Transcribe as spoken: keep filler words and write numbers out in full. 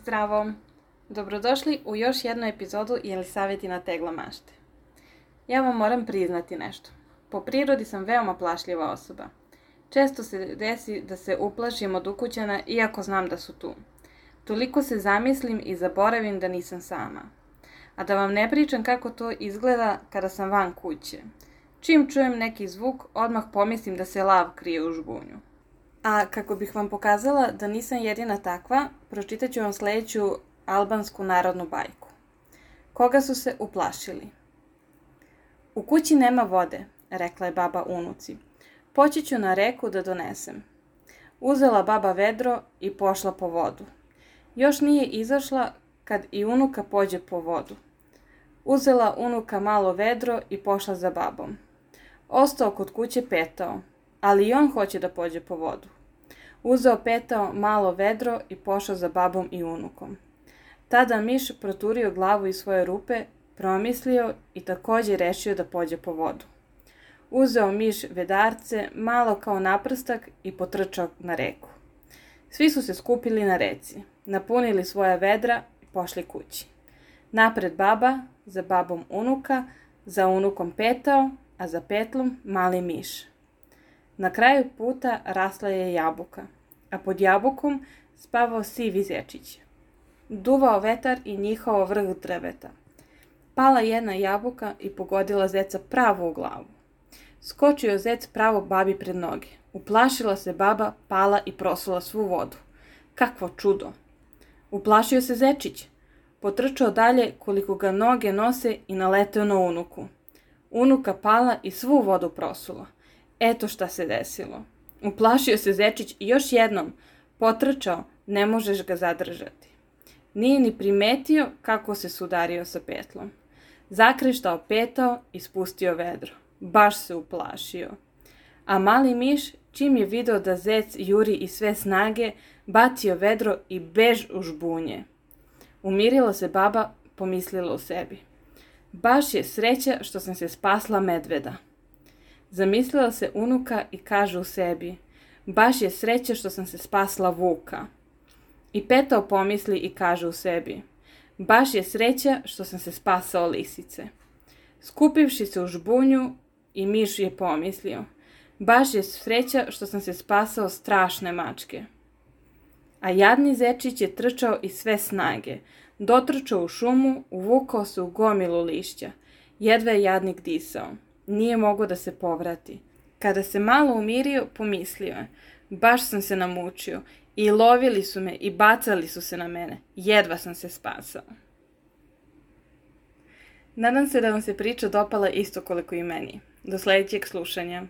Zdravo! Dobrodošli u još jednu epizodu Jelisavetina tegla mašte. Ja vam moram priznati nešto. Po prirodi sam veoma plašljiva osoba. Često se desi da se uplašim od ukućana iako znam da su tu. Toliko se zamislim i zaboravim da nisam sama. A da vam ne pričam kako to izgleda kada sam van kuće. Čim čujem neki zvuk, odmah pomislim da se lav krije u žbunju. A kako bih vam pokazala da nisam jedina takva, pročitat ću vam sljedeću albansku narodnu bajku. Koga su se uplašili? U kući nema vode, rekla je baba unuci. Poći ću na reku da donesem. Uzela baba vedro i pošla po vodu. Još nije izašla kad i unuka pođe po vodu. Uzela unuka malo vedro i pošla za babom. Ostao kod kuće petao, ali i on hoće da pođe po vodu. Uzeo petao malo vedro i pošao za babom i unukom. Tada miš proturio glavu iz svoje rupe, promislio i također rešio da pođe po vodu. Uzeo miš vedarce, malo kao naprstak i potrčao na reku. Svi su se skupili na reci, napunili svoja vedra i pošli kući. Napred baba, za babom unuka, za unukom petao, a za petlom mali miš. Na kraju puta rasla je jabuka, a pod jabukom spavao sivi zečić. Duvao vetar i njihao vrh drveta. Pala jedna jabuka i pogodila zeca pravo u glavu. Skočio zec pravo babi pred noge. Uplašila se baba, pala i prosula svu vodu. Kakvo čudo! Uplašio se zečić. Potrčao dalje koliko ga noge nose i naleteo na unuku. Unuka pala i svu vodu prosula. Eto šta se desilo. Uplašio se zečić i još jednom potrčao, ne možeš ga zadržati. Nije ni primetio kako se sudario sa petlom. Zakreštao petao i spustio vedro. Baš se uplašio. A mali miš, čim je video da zec juri iz sve snage, bacio vedro i bež u žbunje. Umirila se baba, pomislila u sebi. Baš je sreća što sam se spasla medveda. Zamislila se unuka i kaže u sebi, baš je sreća što sam se spasla vuka. I petao pomisli i kaže u sebi, baš je sreća što sam se spasao lisice. Skupivši se u žbunju i miš je pomislio, baš je sreća što sam se spasao strašne mačke. A jadni zečić je trčao iz sve snage, dotrčao u šumu, uvukao se u gomilu lišća, jedva je jadnik disao. Nije mogao da se povrati. Kada se malo umirio, pomislio je, baš sam se namučio, i lovili su me i bacali su se na mene, jedva sam se spasao. Nadam se da vam se priča dopala isto koliko i meni. Do sljedećeg slušanja.